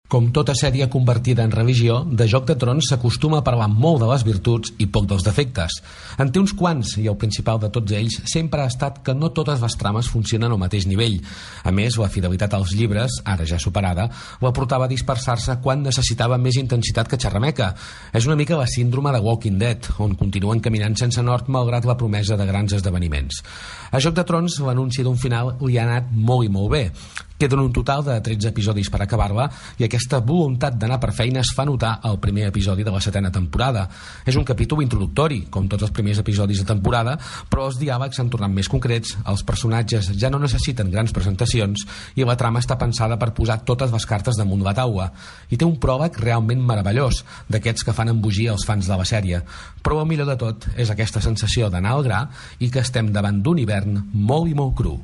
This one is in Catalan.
Com tota sèrie convertida en revisió, de Joc de Trons s'acostuma a parlar molt de les virtuts i poc dels defectes. En té uns quants, i el principal de tots ells sempre ha estat que no totes les trames funcionen al mateix nivell. A més, la fidelitat als llibres, ara ja superada, la portava a dispersar-se quan necessitava més intensitat que xerrameca. És una mica la síndrome de Walking Dead, on continuen caminant sense nord malgrat la promesa de grans esdeveniments. A Joc de Trons, l'anunci d'un final li ha anat molt i molt bé. Queden un total de 13 episodis per acabar-la i aquesta voluntat d'anar per feina es fa notar al primer episodi de la 7ª temporada. És un capítol introductori, com tots els primers episodis de temporada, però els diàlegs s'han tornat més concrets, els personatges ja no necessiten grans presentacions i la trama està pensada per posar totes les cartes damunt la taula. I té un pròleg realment meravellós, d'aquests que fan embogir els fans de la sèrie. Però el millor de tot és aquesta sensació d'anar al gra i que estem davant d'un hivern molt i molt cru.